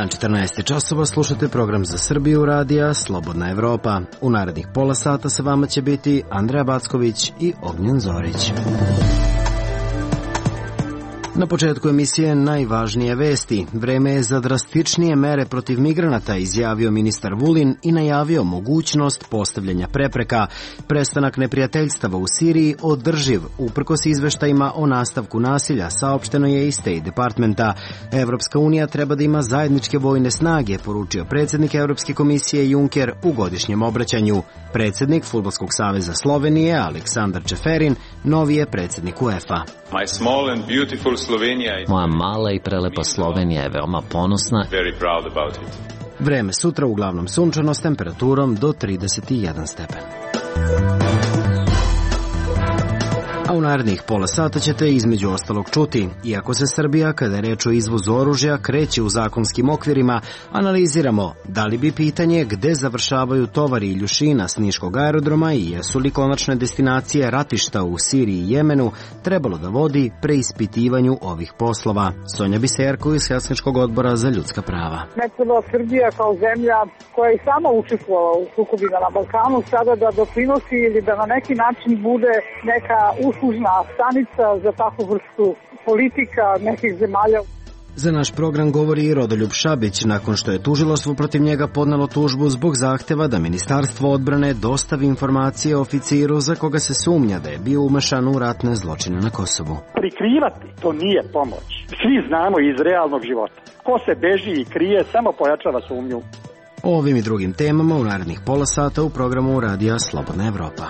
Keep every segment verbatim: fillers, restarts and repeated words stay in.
četrnaest časova, slušate program za Srbiju radija Slobodna Evropa. U narednih pola sata sa vama će biti Andreja Backović i Ognjen Zorić. Na početku emisije najvažnije vesti. Vreme je za drastičnije mere protiv migranata, izjavio ministar Vulin i najavio mogućnost postavljanja prepreka. Prestanak neprijateljstava u Siriji održiv, uprkos izveštajima o nastavku nasilja, saopšteno je iz State Departmenta. Evropska unija treba da ima zajedničke vojne snage, poručio predsjednik Evropske komisije Juncker u godišnjem obraćanju. Predsjednik Fudbalskog saveza Slovenije, Aleksandar Čeferin, novi je predsjednik UEFA. Moja mala i prelepa Slovenija je veoma ponosna. Vreme sutra uglavnom sunčano s temperaturom do trideset jedan stepen. A u narednih pola sata ćete između ostalog čuti. Iako se Srbija, kada je reč o izvozu oružja, kreće u zakonskim okvirima, analiziramo da li bi pitanje gde završavaju tovari i ljušina s niškog aerodroma i jesu li konačne destinacije ratišta u Siriji i Jemenu trebalo da vodi preispitivanju ovih poslova. Sonja Biserko iz Helsinškog odbora za ljudska prava. Ne treba Srbija kao zemlja koja je sama učestvovala u sukobima na Balkanu sada da doprinosi ili da na neki način bude neka uslužna stanica za takvu vrstu politika nekih zemalja. Za naš program govori i Rodoljub Šabić, nakon što je tužilaštvo protiv njega podnelo tužbu zbog zahteva da Ministarstvo odbrane dostavi informacije oficiru za koga se sumnja da je bio umešan u ratne zločine na Kosovu. Prikrivati to nije pomoć. Svi znamo iz realnog života. Ko se beži i krije samo pojačava sumnju. O ovim i drugim temama u narednih pola sata u programu Radija Slobodna Evropa.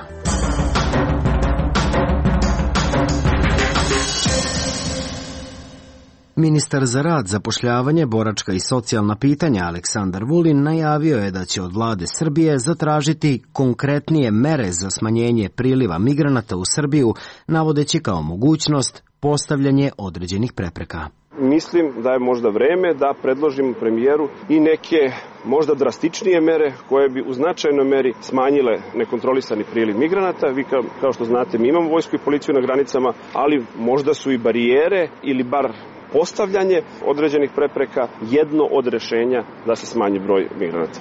Ministar za rad, zapošljavanje, boračka i socijalna pitanja Aleksandar Vulin najavio je da će od vlade Srbije zatražiti konkretnije mere za smanjenje priliva migranata u Srbiju, navodeći kao mogućnost postavljanje određenih prepreka. Mislim da je možda vreme da predložim premijeru i neke možda drastičnije mere koje bi u značajnoj meri smanjile nekontrolisani priliv migranata. Vi kao, kao što znate, mi imamo vojsku i policiju na granicama, ali možda su i barijere ili bar postavljanje određenih prepreka jedno od rešenja da se smanji broj migranata.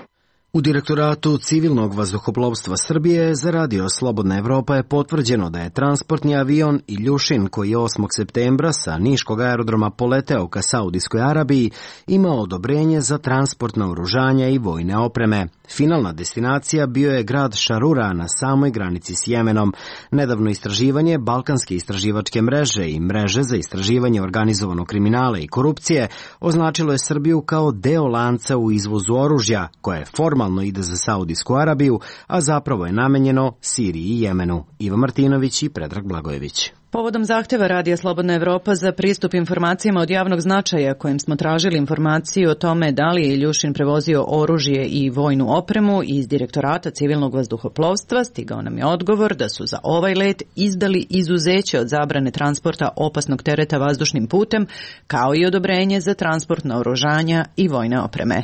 U Direktoratu civilnog vazduhoplovstva Srbije za Radio Slobodna Evropa je potvrđeno da je transportni avion Iljušin, koji je osmog septembra sa niškog aerodroma poleteo ka Saudijskoj Arabiji, imao odobrenje za transport naoružanja i vojne opreme. Finalna destinacija bio je grad Šarura na samoj granici s Jemenom. Nedavno istraživanje Balkanske istraživačke mreže i mreže za istraživanje organizovanog kriminala i korupcije označilo je Srbiju kao deo lanca u izvozu oružja, koje formalno ide za Saudijsku Arabiju, a zapravo je namenjeno Siriji i Jemenu. Iva Martinović i Predrag Blagojević. Povodom zahteva Radija Slobodna Evropa za pristup informacijama od javnog značaja, kojim smo tražili informaciju o tome da li je Iljušin prevozio oružje i vojnu opremu iz Direktorata civilnog vazduhoplovstva, stigao nam je odgovor da su za ovaj let izdali izuzeće od zabrane transporta opasnog tereta vazdušnim putem, kao i odobrenje za transport naoružanja i vojne opreme.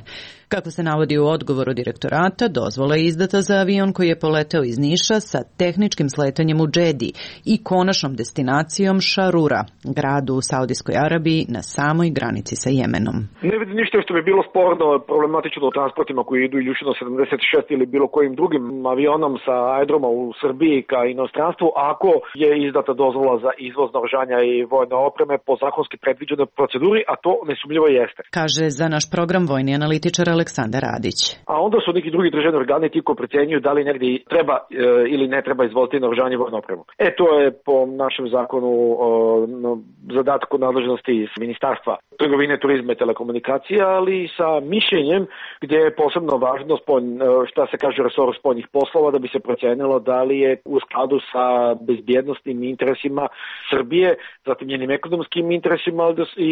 Kako se navodi u odgovoru direktorata, dozvola je izdata za avion koji je poleteo iz Niša sa tehničkim sletanjem u Džedi i konačnom destinacijom Šarura, gradu u Saudijskoj Arabiji na samoj granici sa Jemenom. Ne vidim ništa što bi bilo sporno, problematično o transportima koji idu Iljušino sedamdeset šest ili bilo kojim drugim avionom sa aerodroma u Srbiji ka inostranstvu, ako je izdata dozvola za izvoz naoružanja i vojne opreme po zakonski predviđenoj proceduri, a to nesumnjivo jeste. Kaže za naš program vojni analitičar Aleksandar Radić. A onda su neki drugi državni organi ti koji procenjuju da li negdje treba e, ili ne treba izvoliti naoružanje i vojnu opremu. E, to je po našem zakonu o, no, zadatku nadležnosti iz Ministarstva trgovine, turizma i telekomunikacija, ali sa mišljenjem gdje je posebno važno spolj, šta se kaže resoru spoljnih poslova da bi se procenilo da li je u skladu sa bezbjednostnim interesima Srbije, zatim njenim ekonomskim interesima i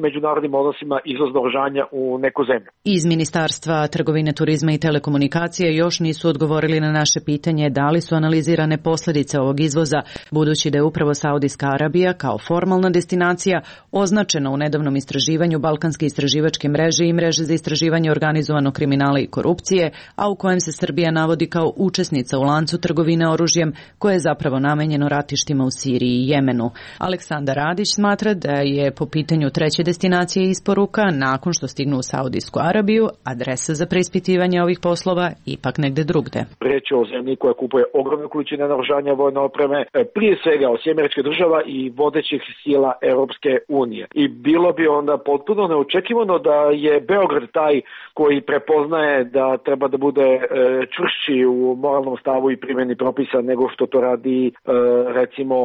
međunarodnim odnosima izvoz naoružanja u neku zemlju. Iz Ministarstva trgovine, turizma i telekomunikacije još nisu odgovorili na naše pitanje da li su analizirane posljedice ovog izvoza, budući da je upravo Saudijska Arabija kao formalna destinacija označena u nedavnom istraživanju Balkanske istraživačke mreže i mreže za istraživanje organizovanog kriminala i korupcije, a u kojem se Srbija navodi kao učesnica u lancu trgovine oružjem koje je zapravo namenjeno ratištima u Siriji i Jemenu. Aleksandar Radić smatra da je po pitanju treće destinacije isporuka, nakon što stignu u Saudijsku Arabiju, adresa za preispitivanje ovih poslova ipak negde drugde. Reč je o zemlji koja kupuje ogromne količine naoružanja, vojne opreme, prije svega od Sjedinjenih Država i vodećih sila Europske unije. I bilo bi onda potpuno neočekivano da je Beograd taj koji prepoznaje da treba da bude čvršći u moralnom stavu i primjeni propisa nego što to radi recimo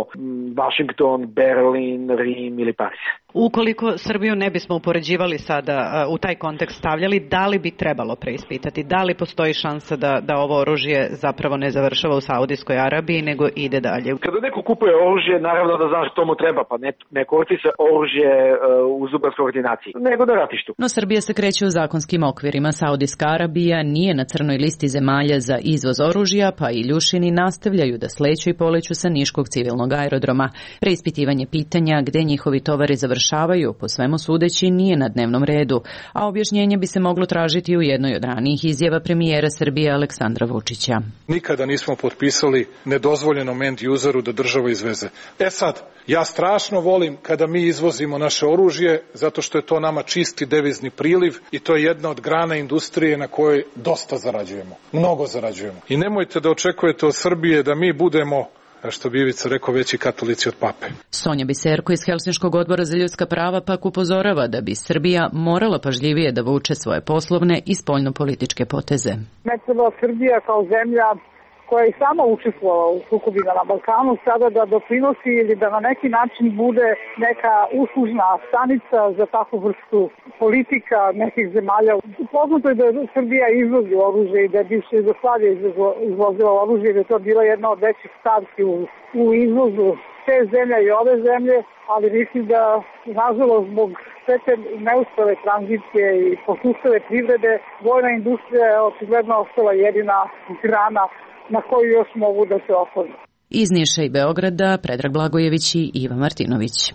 Washington, Berlin, Rim ili Pariz. Ukoliko Srbiju ne bismo upoređivali sada u taj kontekst stavljali, da li bi trebalo preispitati? Da li postoji šansa da, da ovo oružje zapravo ne završava u Saudijskoj Arabiji, nego ide dalje? Kada neko kupuje oružje, naravno da znaš što mu treba, pa ne, ne koristi se oružje uh, u zubarskoj ordinaciji, nego na ratištu. No Srbija se kreće u zakonskim okvirima. Saudijska Arabija nije na crnoj listi zemalja za izvoz oružja, pa i Ljušini nastavljaju da sleću i poleću sa niškog civilnog aerodroma. Preispitivanje pitanja gde njihovi tovari završavaju, po svemu sudeći, nije na dnevnom redu, a objašnjenje bi se moglo tražiti u jednoj od ranijih izjava premijera Srbije Aleksandra Vučića. Nikada nismo potpisali nedozvoljenom end useru da država izveze. E sad, ja strašno volim kada mi izvozimo naše oružje, zato što je to nama čisti devizni priliv i to je jedna od grana industrije na kojoj dosta zarađujemo, mnogo zarađujemo. I nemojte da očekujete od Srbije da mi budemo, što bi Ivica rekao, veći katolici od pape. Sonja Biserko iz Helsinškog odbora za ljudska prava pak upozorava da bi Srbija morala pažljivije da vuče svoje poslovne i spoljno-političke poteze. Ne treba Srbija kao zemlja koja je sama učestvovala u sukobima na Balkanu sada da doprinosi ili da na neki način bude neka uslužna stanica za takvu vrstu politika nekih zemalja. Poznato je da Srbija izvozi oružje i da je bivša Jugoslavija izvozila oružje i da je to bila jedna od većih stavki u, u izvozu te zemlje i ove zemlje, ali mislim da nažalost zbog sve te neuspele tranzicije i posustale privrede, vojna industrija je očigledno ostala jedina grana na koju još mogu da se oslone. Iz Niša i Beograda, Predrag Blagojević i Iva Martinović.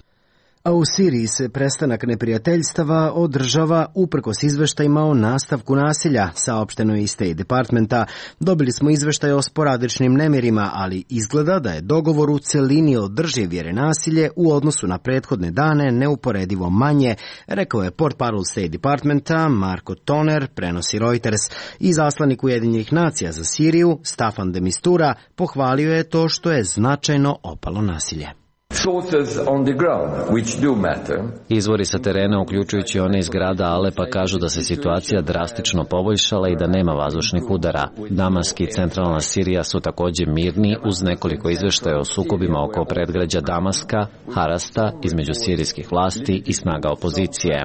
A u Siriji se prestanak neprijateljstava održava uprkos izveštajima o nastavku nasilja, saopšteno je iz State Departmenta. Dobili smo izveštaj o sporadičnim nemirima, ali izgleda da je dogovor u celini održiv jer je nasilje u odnosu na prethodne dane neuporedivo manje, rekao je portparol State Departmenta Marko Toner, prenosi Reuters. I zaslanik Ujedinjenih nacija za Siriju, Staffan de Mistura, pohvalio je to što je značajno opalo nasilje. Izvori sa terena, uključujući one iz grada Alepa, kažu da se situacija drastično poboljšala i da nema vazdušnih udara. Damask i centralna Sirija su također mirni, uz nekoliko izveštaja o sukobima oko predgrađa Damaska, Harasta, između sirijskih vlasti i snaga opozicije.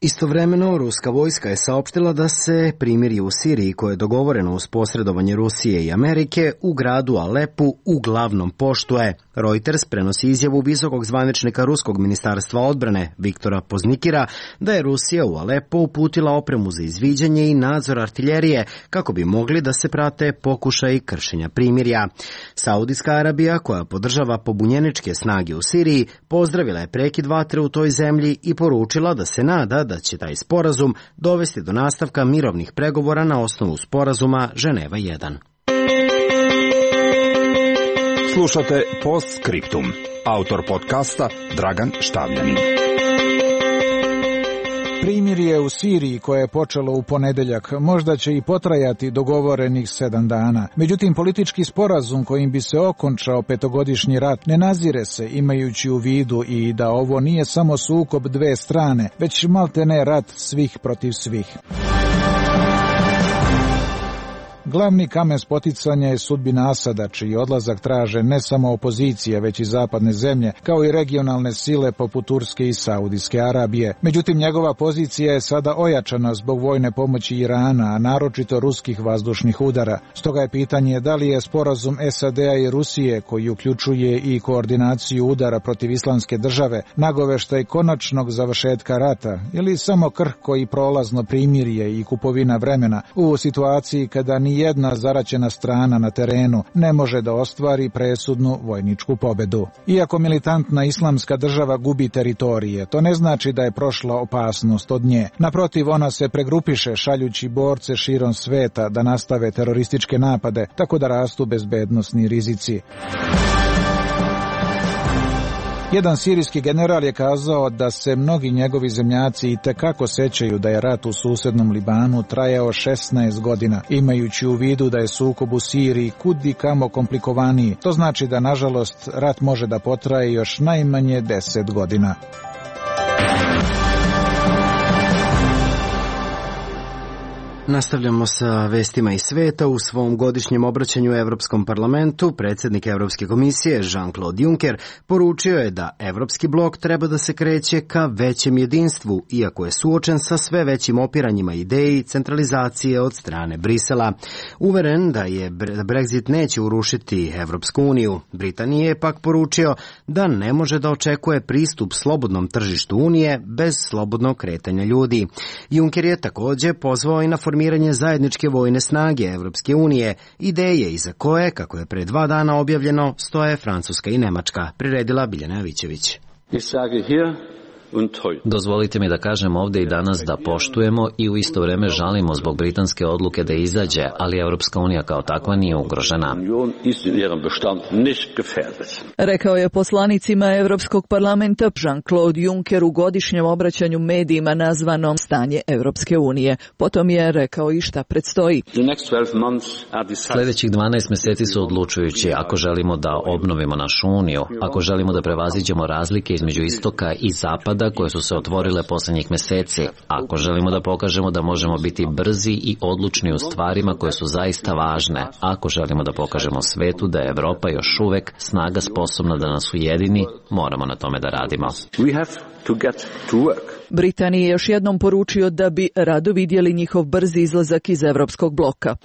Istovremeno, ruska vojska je saopštila da se primirje u Siriji koje je dogovoreno uz posredovanje Rusije i Amerike u gradu Alepu uglavnom poštuje. Reuters prenosi izjavu visokog zvaničnika Ruskog ministarstva odbrane Viktora Poznikira da je Rusija u Alepo uputila opremu za izviđanje i nadzor artiljerije kako bi mogli da se prate pokušaji kršenja primirja. Saudijska Arabija, koja podržava pobunjeničke snage u Siriji, pozdravila je prekid vatre u toj zemlji i poručila da se nada da će taj sporazum dovesti do nastavka mirovnih pregovora na osnovu sporazuma Ženeva jedan. Slušate Postscriptum. Autor podcasta Dragan Štavljanin. Primirje u Siriji koje je počelo u ponedeljak možda će i potrajati dogovorenih sedam dana. Međutim, politički sporazum kojim bi se okončao petogodišnji rat ne nazire se, imajući u vidu i da ovo nije samo sukob dve strane, već maltene rat svih protiv svih. Glavni kamen spoticanja je sudbina Asada, čiji odlazak traže ne samo opozicija, već i zapadne zemlje, kao i regionalne sile poput Turske i Saudijske Arabije. Međutim, njegova pozicija je sada ojačana zbog vojne pomoći Irana, a naročito ruskih vazdušnih udara. Stoga je pitanje da li je sporazum S A D-a i Rusije, koji uključuje i koordinaciju udara protiv Islamske države, nagoveštaj konačnog završetka rata ili samo krhko i prolazno primirje i kupovina vremena u situaciji kada ni jedna zaraćena strana na terenu ne može da ostvari presudnu vojničku pobedu. Iako militantna Islamska država gubi teritorije, to ne znači da je prošla opasnost od nje. Naprotiv, ona se pregrupiše šaljući borce širom sveta da nastave terorističke napade, tako da rastu bezbednosni rizici. Jedan sirijski general je kazao da se mnogi njegovi zemljaci i tekako sećaju da je rat u susednom Libanu trajao šesnaest godina, imajući u vidu da je sukob u Siriji kud i kamo komplikovaniji. To znači da, nažalost, rat može da potraje još najmanje deset godina. Nastavljamo sa vestima iz sveta. U svom godišnjem obraćanju Evropskom parlamentu predsjednik Evropske komisije Jean-Claude Juncker poručio je da Evropski blok treba da se kreće ka većem jedinstvu, iako je suočen sa sve većim opiranjima ideji centralizacije od strane Brisela. Uveren da je Brexit neće urušiti Evropsku uniju, Britanije je pak poručio da ne može da očekuje pristup slobodnom tržištu Unije bez slobodnog kretanja ljudi. Juncker je također pozvao i na formiranje zajedničke vojne snage Evropske unije, ideje iza koje, kako je pre dva dana objavljeno, stoje Francuska i Nemačka, priredila Biljana Jovićević. Dozvolite mi da kažem ovdje i danas da poštujemo i u isto vrijeme žalimo zbog britanske odluke da izađe, ali Evropska unija kao takva nije ugrožena. Rekao je poslanicima Evropskog parlamenta Jean-Claude Juncker u godišnjem obraćanju medijima nazvanom Stanje Evropske unije. Potom je rekao i šta predstoji. Sljedećih dvanaest mjeseci su odlučujući ako želimo da obnovimo našu uniju, ako želimo da prevaziđemo razlike između istoka i zapada koje su se otvorile posljednjih mjeseci, ako želimo da pokažemo da možemo biti brzi i odlučni u stvarima koje su zaista važne, ako želimo da pokažemo svetu da je Evropa još uvek snaga sposobna da nas ujedini, moramo na tome da radimo. Britaniji je još jednom poručio da bi rado vidjeli njihov brzi izlazak iz Evropskog bloka.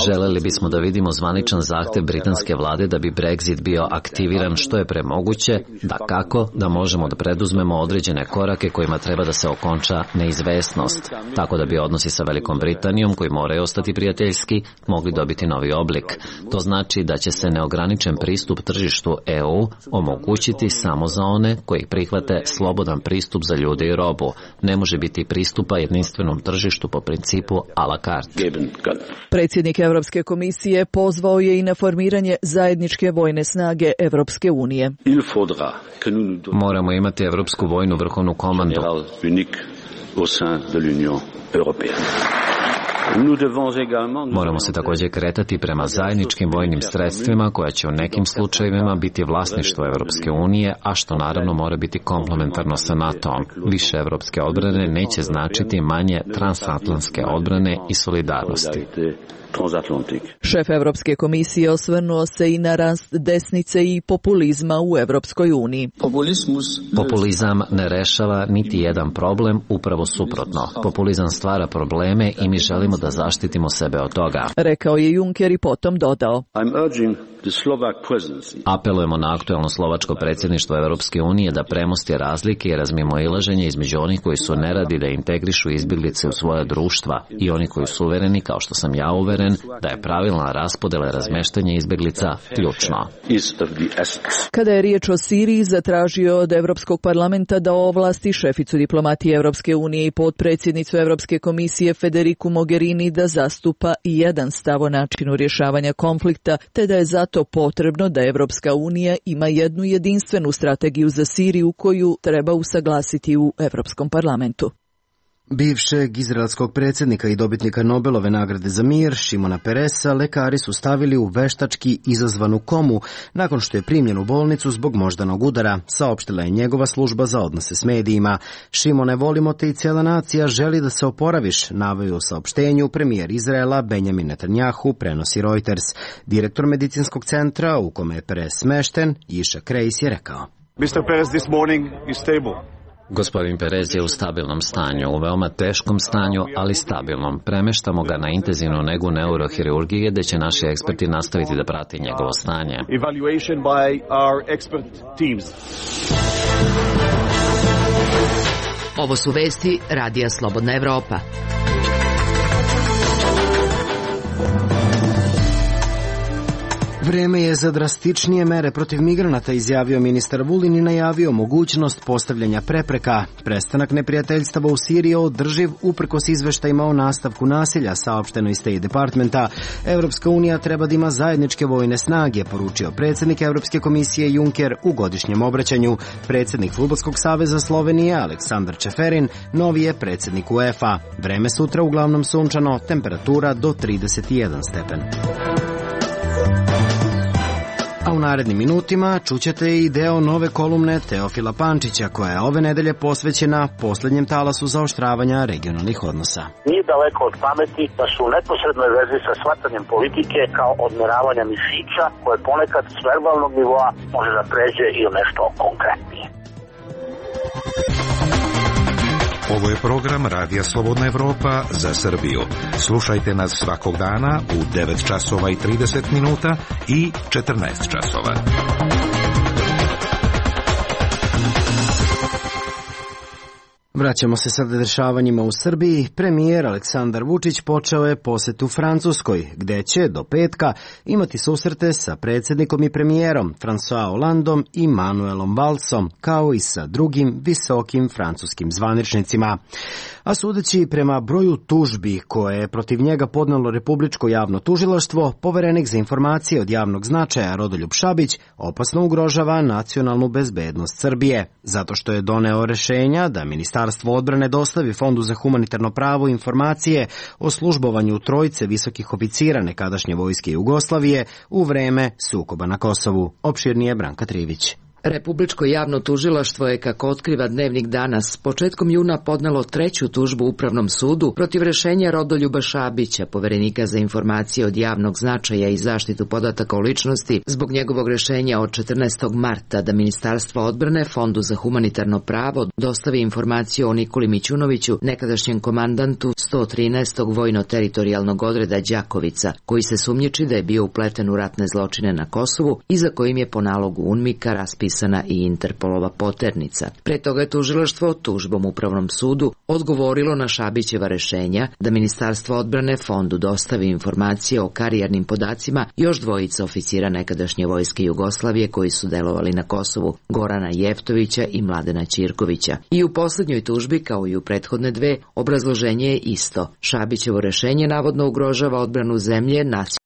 Želeli bismo da vidimo zvaničan zahtev britanske vlade da bi Brexit bio aktiviran što je premoguće, da kako da možemo da preduzmemo određene korake kojima treba da se okonča neizvesnost, tako da bi odnosi sa Velikom Britanijom, koji moraju ostati prijateljski, mogli dobiti novi oblik. To znači da će se neograničen pristup tržištu E U omogućiti samo za one koji prihvate slobodan pristup za ljude i robu. Ne može biti pristupa jedinstvenom tržištu po principu a la carte. Predsjednik Evropske komisije pozvao je i na formiranje zajedničke vojne snage Evropske unije. Moramo imati Evropsku vojnu vrhovnu komandu. Moramo se također kretati prema zajedničkim vojnim sredstvima koja će u nekim slučajevima biti vlasništvo Evropske unije, a što naravno mora biti komplementarno sa NATO-om. Više evropske odbrane neće značiti manje transatlantske odbrane i solidarnosti. Šef Evropske komisije osvrnuo se i na rast desnice i populizma u Evropskoj uniji. Populizam ne rešava niti jedan problem, upravo suprotno. Populizam stvara probleme i mi želimo da zaštitimo sebe od toga. Rekao je Juncker i potom dodao. Apelujemo na aktuelno slovačko predsjedništvo Evropske unije da premosti razlike i razmimoilaženje između onih koji su neradi da integrišu izbjeglice u svoja društva i oni koji su uvereni, kao što sam ja uveren, da je pravilna raspodela razmeštanja izbjeglica ključno. Kada je riječ o Siriji, zatražio od Evropskog parlamenta da ovlasti šeficu diplomatije Evropske unije i potpredsjednicu Evropske komisije Federiku Mogherini da zastupa i jedan stav o načinu rješavanja konflikta, te da je zato potrebno da Evropska unija ima jednu jedinstvenu strategiju za Siriju koju treba usaglasiti u Evropskom parlamentu. Bivšeg izraelskog predsjednika i dobitnika Nobelove nagrade za mir, Šimona Peresa, lekari su stavili u veštački izazvanu komu nakon što je primljen u bolnicu zbog moždanog udara, saopštila je njegova služba za odnose s medijima. Šimone, volimo te i cijela nacija želi da se oporaviš, naveo u saopštenju premijer Izraela Benjamin Netanjahu, prenosi Reuters. Direktor medicinskog centra u kome je Peres smešten, Iša Krejs, je rekao: mister Peres this morning is stable. Gospodin Perez je u stabilnom stanju, u veoma teškom stanju, ali stabilnom. Premeštamo ga na intenzivnu negu neurohirurgije, gde će naši eksperti nastaviti da prati njegovo stanje. Evaluation by our expert teams. Ovo su vesti Radija Slobodna Evropa. Vreme je za drastičnije mere protiv migranata, izjavio ministar Vulin i najavio mogućnost postavljanja prepreka. Prestanak neprijateljstava u Siriji je održiv uprkos izveštajima o nastavku nasilja, saopšteno iz State Departmenta. Evropska unija treba da ima zajedničke vojne snage, poručio predsjednik Evropske komisije Juncker u godišnjem obraćanju. Predsjednik Fudbalskog saveza Slovenije Aleksandar Čeferin novi je predsjednik UEFA. Vreme sutra uglavnom sunčano, temperatura do trideset jedan stepen. A u narednim minutima čućete i deo nove kolumne Teofila Pančića, koja je ove nedelje posvećena posljednjem talasu zaoštravanja regionalnih odnosa. Nije daleko od pameti da su u neposrednoj vezi sa shvatanjem politike kao odmeravanja mišića, koje ponekad s verbalnog nivoa može da pređe i u nešto konkretnije. Ovo je program Radija Slobodna Evropa za Srbiju. Slušajte nas svakog dana u devet časova i trideset minuta i četrnaest časova. Vraćamo se sada dešavanjima u Srbiji. Premijer Aleksandar Vučić počeo je posetu Francuskoj, gde će do petka imati susrete sa predsjednikom i premijerom François Hollandom i Manuelom Valsom, kao i sa drugim visokim francuskim zvaničnicima. A sudeći prema broju tužbi koje je protiv njega podnelo Republičko javno tužilaštvo, poverenik za informacije od javnog značaja Rodoljub Šabić opasno ugrožava nacionalnu bezbednost Srbije, zato što je doneo rešenja da Ministarstvo odbrane dostavi Fondu za humanitarno pravo informacije o službovanju trojice visokih oficira nekadašnje vojske Jugoslavije u vreme sukoba na Kosovu. Opširnije Branka Trivić. Republičko javno tužilaštvo je, kako otkriva Dnevnik danas, početkom juna podnelo treću tužbu Upravnom sudu protiv rešenja Rodoljuba Šabića, poverenika za informacije od javnog značaja i zaštitu podataka o ličnosti, zbog njegovog rešenja od četrnaestog marta da Ministarstvo odbrane Fondu za humanitarno pravo dostavi informaciju o Nikoli Mićunoviću, nekadašnjem komandantu sto trinaestog vojno-teritorijalnog odreda Đakovica, koji se sumnjiči da je bio upleten u ratne zločine na Kosovu i za kojim je po nalogu UNMIK-a raspisana i Interpolova poternica. Pre toga je tužilaštvo tužbom Upravnom sudu odgovorilo na Šabićeva rešenja da Ministarstvo odbrane Fondu dostavi informacije o karijernim podacima još dvojica oficira nekadašnje vojske Jugoslavije koji su delovali na Kosovu, Gorana Jeftovića i Mladena Ćirkovića. I u poslednjoj tužbi, kao i u prethodne dve, obrazloženje je isto. Šabićevo rešenje navodno ugrožava odbranu zemlje, nacionalnu,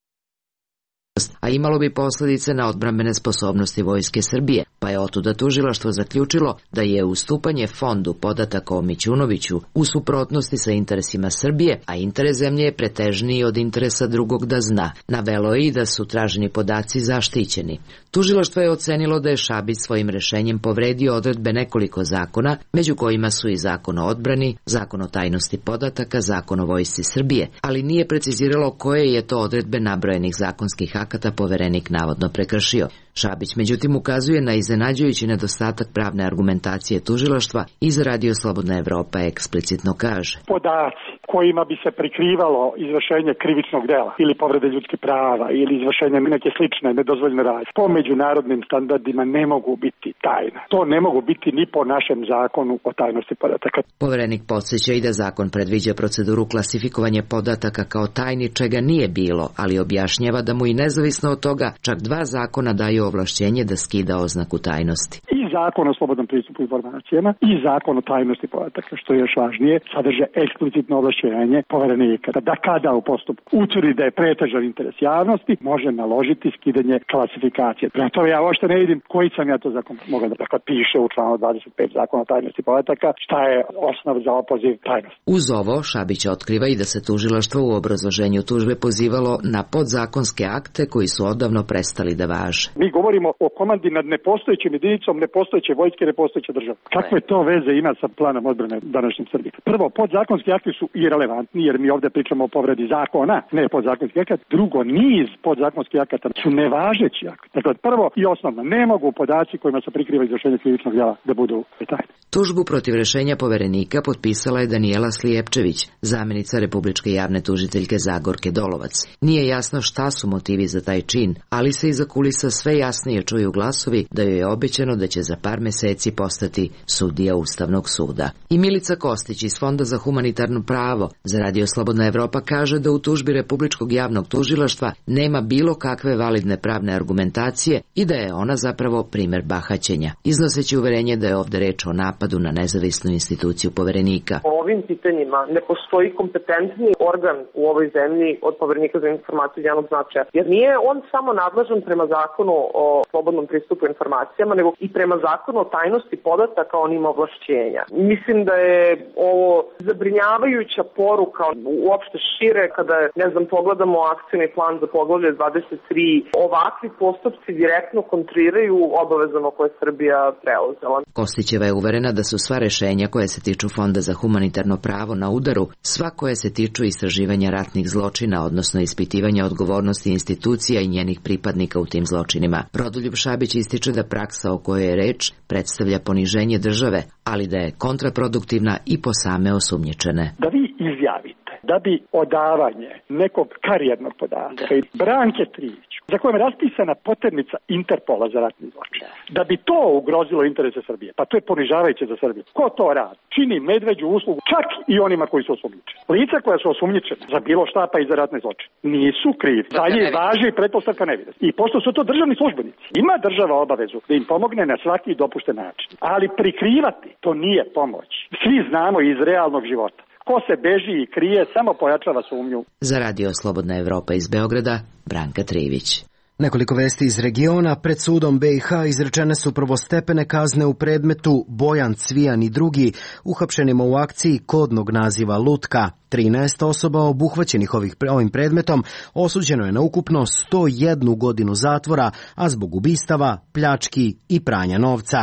a imalo bi posljedice na odbrambene sposobnosti Vojske Srbije, pa je otuda tužilaštvo zaključilo da je ustupanje Fondu podataka o Mićunoviću u suprotnosti sa interesima Srbije, a interes zemlje je pretežniji od interesa drugog da zna. Navelo je i da su traženi podaci zaštićeni. Tužilaštvo je ocenilo da je Šabić svojim rešenjem povredio odredbe nekoliko zakona, među kojima su i Zakon o odbrani, Zakon o tajnosti podataka, Zakon o Vojsci Srbije, ali nije preciziralo koje je to odredbe nabrojenih zakonskih akata poverenik navodno prekršio. Šabić međutim ukazuje na iznenađujući nedostatak pravne argumentacije tužilaštva i za Radio Slobodna Evropa eksplicitno kaže: podaci kojima bi se prikrivalo izvršenje krivičnog dela ili povrede ljudskih prava ili izvršenje neke slične nedozvoljene radnje po međunarodnim standardima ne mogu biti tajna. To ne mogu biti ni po našem zakonu o tajnosti podataka. Poverenik podsjeća i da zakon predviđa proceduru klasifikovanja podataka kao tajni, čega nije bilo, ali objašnjava da mu i nezavisno od toga čak dva zakona daju ovlašćenje da skida oznaku tajnosti. Iz Zakon o slobodnom pristupu informacijama i Zakon o tajnosti podataka, što je još važnije, sadrže eksplicitno ovlašćenje poverenika da kada u postupku utvrdi da je pretežan interes javnosti, može naložiti skidanje klasifikacije. Prema tome ja uopšte ne vidim koji sam ja to zakon mogao da dakle, piše u članu dvadeset pet Zakona o tajnosti podataka, šta je osnov za opoziv tajnosti. Uz ovo Šabić otkriva i da se tužilaštvo u obrazloženju tužbe pozivalo na podzakonske akte koji su odavno prestali da važe. Mi govorimo o komandi nad nepostojećim jedinicom, nepostojeće vojske, nepostojeće države. Kakve to veze ima sa planom odbrane današnjim Srbije? Prvo, podzakonski akti su irelevantni jer mi ovde pričamo o povredi zakona, ne podzakonski akata. Drugo, niz podzakonskih akata su nevažeći akti. Dakle, prvo i osnovno, ne mogu podaci kojima se prikriva izvršenje krivičnog dela da budu tajni. Tužbu protiv rešenja poverenika potpisala je Danijela Slijepčević, zamenica republičke javne tužiteljke Zagorke Dolovac. Nije jasno šta su motivi za taj čin, ali se iza kulisa sve jasnije čuju glasovi da joj je obećano da će za par meseci postati sudija Ustavnog suda. I Milica Kostić iz Fonda za humanitarno pravo za Radio Slobodna Evropa kaže da u tužbi Republičkog javnog tužilaštva nema bilo kakve validne pravne argumentacije i da je ona zapravo primer bahaćenja, iznoseći uverenje da je ovde reč o napadu na nezavisnu instituciju poverenika. O ovim pitanjima ne postoji kompetentni organ u ovoj zemlji od Poverenika za informacije od javnog značaja, jer nije on samo nadležan prema zakonu o slobodnom pristupu informacijama, nego i prema zakonu o tajnosti podataka on ima ovlašćenja. Mislim da je ovo zabrinjavajuća poruka uopšte šire kada, ne znam, pogledamo akcioni plan za poglavlje dvadeset tri. Ovakvi postupci direktno kontriraju obavezama koje je Srbija preuzela. Kostićeva je uverena da su sva rešenja koje se tiču Fonda za humanitarno pravo na udaru, sva koje se tiču istraživanja ratnih zločina, odnosno ispitivanja odgovornosti institucija i njenih pripadnika u tim zločinima. Rodoljub Šabić ističe da praksa o kojoj je reč predstavlja poniženje države, ali da je kontraproduktivna i po same osumnjičene. Da vi izjavite da bi odavanje nekog karijernog podatka Branke Trivić, za kojom je raspisana poternica Interpola za ratni zločin, da bi to ugrozilo interese Srbije, pa to je ponižavajuće za Srbiju. Ko to radi? Čini medveđu uslugu čak i onima koji su osumnjičeni. Lica koja su osumnjičena za bilo šta pa i za ratne zločine nisu krivi. Za njih važi pretpostavka nevinosti. I pošto su to državni službenici, ima država obavezu da im pomogne na svaki dopušten način. Ali prikrivati to nije pomoć. Svi znamo iz realnog života. Ko se beži i krije, samo pojačava sumnju. Za Radio Slobodna Evropa iz Beograda, Branka Trivić. Nekoliko vesti iz regiona. Pred sudom B i H izrečene su prvostepene kazne u predmetu Bojan Cvijan i drugi, uhapšenima u akciji kodnog naziva Lutka. trinaest osoba obuhvaćenih ovih, ovim predmetom osuđeno je na ukupno sto jednu godinu zatvora, a zbog ubistava, pljački i pranja novca.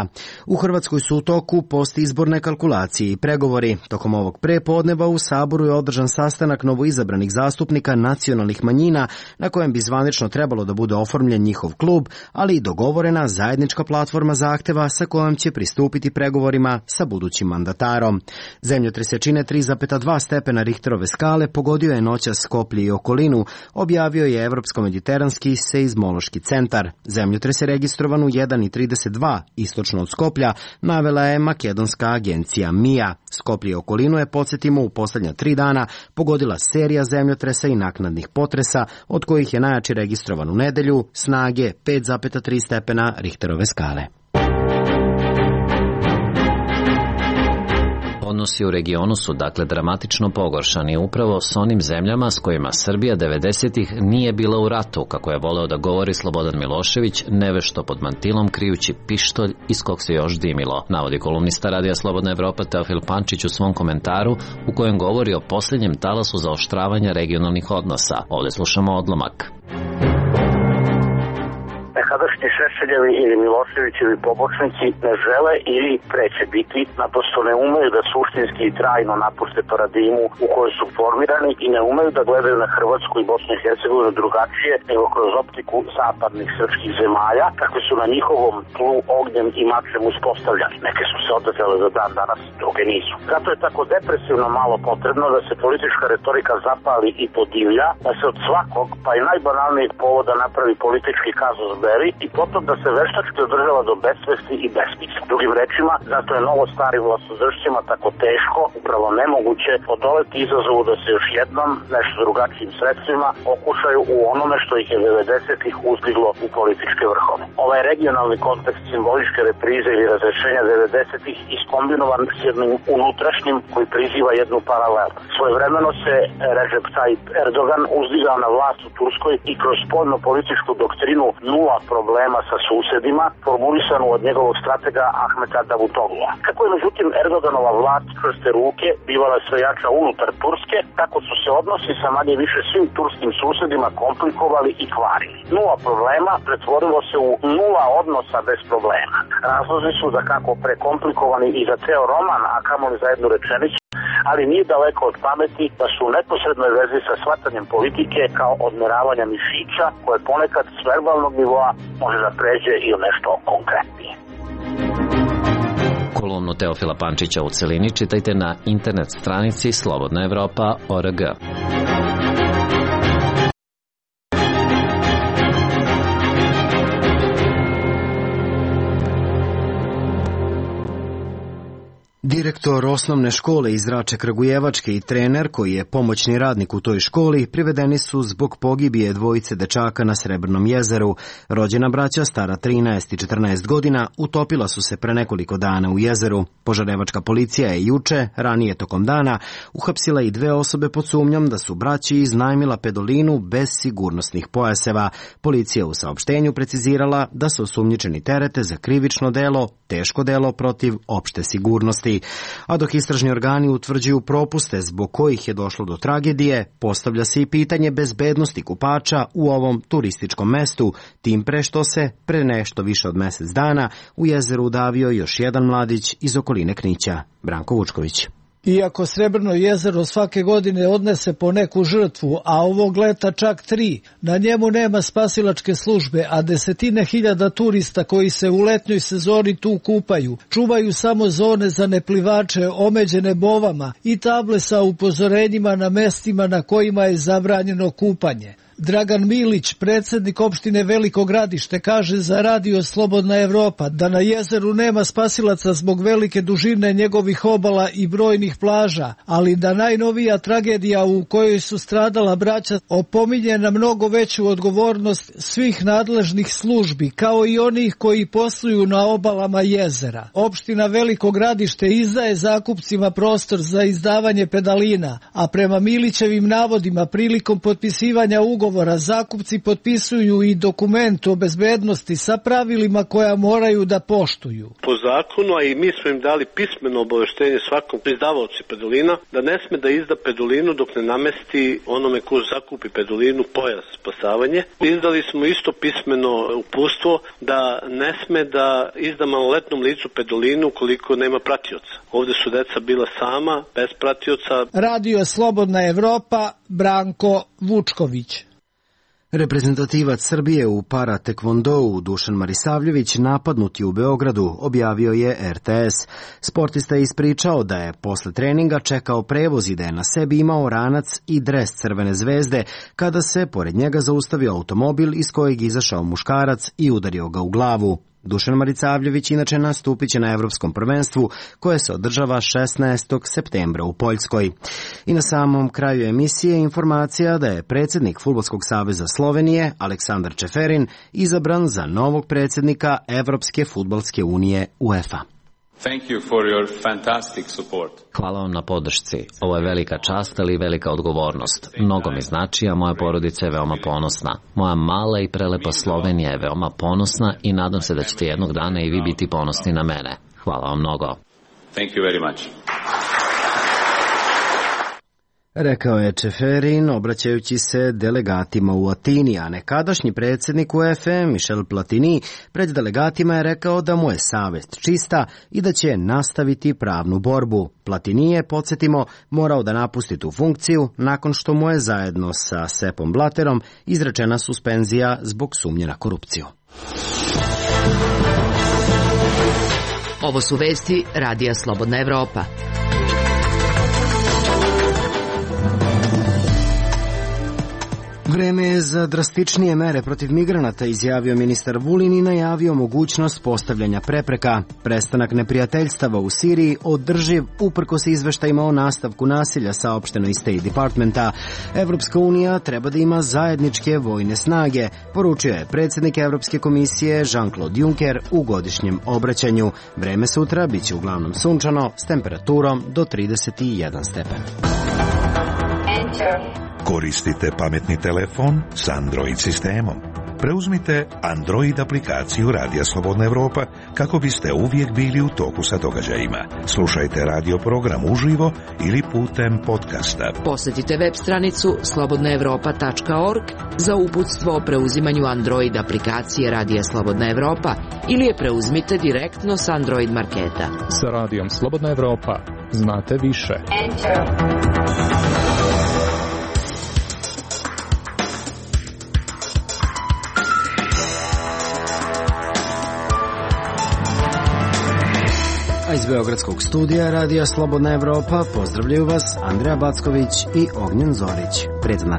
U Hrvatskoj su u toku postizborne kalkulacije i pregovori. Tokom ovog prepodneva u Saboru je održan sastanak novoizabranih zastupnika nacionalnih manjina, na kojem bi zvanično trebalo da bude oformljen njihov klub, ali i dogovorena zajednička platforma zahteva sa kojom će pristupiti pregovorima sa budućim mandatarom. Zemljotres jačine tri zarez dva stepena Richterove skale pogodio je noćas Skoplje i okolinu, objavio je Evropsko-mediteranski seizmološki centar. Zemljotres je registrovan u jedan i trideset dva istočno od Skoplja, navela je makedonska agencija M I A. Skoplje i okolinu je, podsjetimo, u poslednja tri dana pogodila serija zemljotresa i naknadnih potresa, od kojih je najjači registrovan u nedelju, snage pet zarez tri stepena Richterove skale. Odnosi u regionu su dakle dramatično pogoršani upravo s onim zemljama s kojima Srbija devedesetih nije bila u ratu, kako je voleo da govori Slobodan Milošević, nevešto pod mantilom krijući pištolj iz kog se još dimilo, navodi kolumnista Radija Slobodna Evropa Teofil Pančić u svom komentaru u kojem govori o posljednjem talasu zaoštravanja regionalnih odnosa. Ovde slušamo odlomak. Nekadašnji Šešeljevi ili Miloševićevi pobočnici ne žele ili preće biti, naprosto ne umeju da suštinski i trajno napuste paradigmu u kojoj su formirani i ne umeju da gledaju na Hrvatsku i Bosnu i Hercegovinu drugačije nego kroz optiku zapadnih srpskih zemalja, kakve su na njihovom tlu ognjem i mačem uspostavljani. Neke su se odazele za dan danas, druge nisu. Zato je tako depresivno malo potrebno da se politička retorika zapali i podivlja, da se od svakog, pa i najbanalnijeg povoda napravi politički kazus veri i potom da se veštački održava do besvesti i besmisla. Drugim rečima, zato je novo starim vlastodržcima tako teško, upravo nemoguće odoleti izazovu da se još jednom nešto drugačijim sredstvima okušaju u onome što ih je devedesetih uzdiglo u političke vrhove. Ovaj regionalni kontekst simboličke reprize ili razrešenja devedesetih iskombinovan s jednim unutrašnjim koji priziva jednu paralelu. Svojevremeno se Recep Tayyip Erdogan uzdigao na vlast u Turskoj i kroz spoljno-političku doktrinu nula problema sa susedima, formulisanu od njegovog stratega Ahmeta Davutoglua. Kako je međutim Erdoganova vlast čvrste ruke bivala sve jača unutar Turske, tako su se odnosi sa manje više svim turskim susedima komplikovali i kvarili. Nula problema pretvorilo se u nula odnosa bez problema. Razlozi su da kako prekomplikovani i za ceo roman, a kamoli za jednu rečenicu, ali nije daleko od pameti da su u neposrednoj vezi sa shvatanjem politike kao odmeravanja mišića, koje ponekad s verbalnog nivoa može da pređe i u nešto konkretnije. Kolumnu Teofila Pančića u celini čitajte na internet stranici slobodna evropa tačka org. Direktor osnovne škole iz Rače Kragujevačke i trener, koji je pomoćni radnik u toj školi, privedeni su zbog pogibije dvojice dečaka na Srebrnom jezeru. Rođena braća, stara trinaest i četrnaest godina, utopila su se pre nekoliko dana u jezeru. Požarevačka policija je juče, ranije tokom dana, uhapsila i dve osobe pod sumnjom da su braći iznajmila pedolinu bez sigurnosnih pojaseva. Policija u saopštenju precizirala da su osumnjičeni terete za krivično delo, teško delo protiv opšte sigurnosti. A dok istražni organi utvrđuju propuste zbog kojih je došlo do tragedije, postavlja se i pitanje bezbednosti kupača u ovom turističkom mestu, tim pre što se pre nešto više od mesec dana u jezeru udavio još jedan mladić iz okoline Knića. Branko Vučković. Iako Srebrno jezero svake godine odnese po neku žrtvu, a ovog leta čak tri, na njemu nema spasilačke službe, a desetine hiljada turista koji se u letnjoj sezoni tu kupaju, čuvaju samo zone za neplivače omeđene bovama i table sa upozorenjima na mestima na kojima je zabranjeno kupanje. Dragan Milić, predsjednik opštine Veliko Gradište, kaže za radio Slobodna Evropa da na jezeru nema spasilaca zbog velike dužine njegovih obala i brojnih plaža, ali da najnovija tragedija u kojoj su stradala braća opominje na mnogo veću odgovornost svih nadležnih službi, kao i onih koji posluju na obalama jezera. Opština Veliko Gradište izdaje zakupcima prostor za izdavanje pedalina, a prema Milićevim navodima prilikom potpisivanja ugovora zakupci potpisuju i dokument o bezbednosti sa pravilima koja moraju da poštuju. Po zakonu, a i mi smo im dali pismeno obaveštenje svakom izdavaoci pedolina, da ne sme da izda pedolinu dok ne namesti onome ko zakupi pedolinu pojas spasavanje. Izdali smo isto pismeno uputstvo da ne sme da izda maloletnom licu pedolinu ukoliko nema pratioca. Ovde su deca bila sama, bez pratioca. Radio Slobodna Evropa, Branko Vučković. Reprezentativac Srbije u para tekvondou Dušan Marisavljević napadnut je u Beogradu, objavio je er te es. Sportista je ispričao da je posle treninga čekao prevoz i da je na sebi imao ranac i dres Crvene zvezde, kada se pored njega zaustavio automobil iz kojeg izašao muškarac i udario ga u glavu. Dušan Marisavljević inače nastupit će na Evropskom prvenstvu koje se održava šesnaestog septembra u Poljskoj. I na samom kraju emisije informacija da je predsjednik Fudbalskog saveza Slovenije Aleksandar Čeferin izabran za novog predsjednika Evropske fudbalske unije UEFA. Thank you for your fantastic support. Hvala vam na podršci. Ovo je velika čast, ali i velika odgovornost. Mnogo mi znači, a moja porodica je veoma ponosna. Moja mala i prelepa Slovenija je veoma ponosna i nadam se da ćete jednog dana i vi biti ponosni na mene. Hvala vam mnogo. Thank you very much. Rekao je Čeferin, obraćajući se delegatima u Atini, a nekadašnji predsjednik UEFA Michel Platini pred delegatima je rekao da mu je savest čista i da će nastaviti pravnu borbu. Platini je, podsjetimo, morao da napusti tu funkciju nakon što mu je zajedno sa Sepom Blatterom izrečena suspenzija zbog sumnje na korupciju. Ovo su vesti Radija Slobodna Evropa. Vreme je za drastičnije mere protiv migranata, izjavio ministar Vulin i najavio mogućnost postavljanja prepreka. Prestanak neprijateljstava u Siriji održiv uprkos izveštajima o nastavku nasilja, saopšteno iz State Departmenta. Evropska unija treba da ima zajedničke vojne snage, poručio je predsjednik Evropske komisije Jean-Claude Juncker u godišnjem obraćanju. Vreme sutra biće uglavnom sunčano s temperaturom do trideset jedan stepen. Koristite pametni telefon s Android sistemom. Preuzmite Android aplikaciju Radija Slobodna Evropa kako biste uvijek bili u toku sa događajima. Slušajte radio program uživo ili putem podcasta. Posjetite web stranicu slobodna evropa tačka org za uputstvo o preuzimanju Android aplikacije Radija Slobodna Evropa ili je preuzmite direktno s Android marketa. Sa Radijom Slobodna Evropa znate više. Enter. A iz Beogradskog studija Radija Slobodna Evropa pozdravljaju vas Andreja Backović i Ognjen Zorić. Prijatno.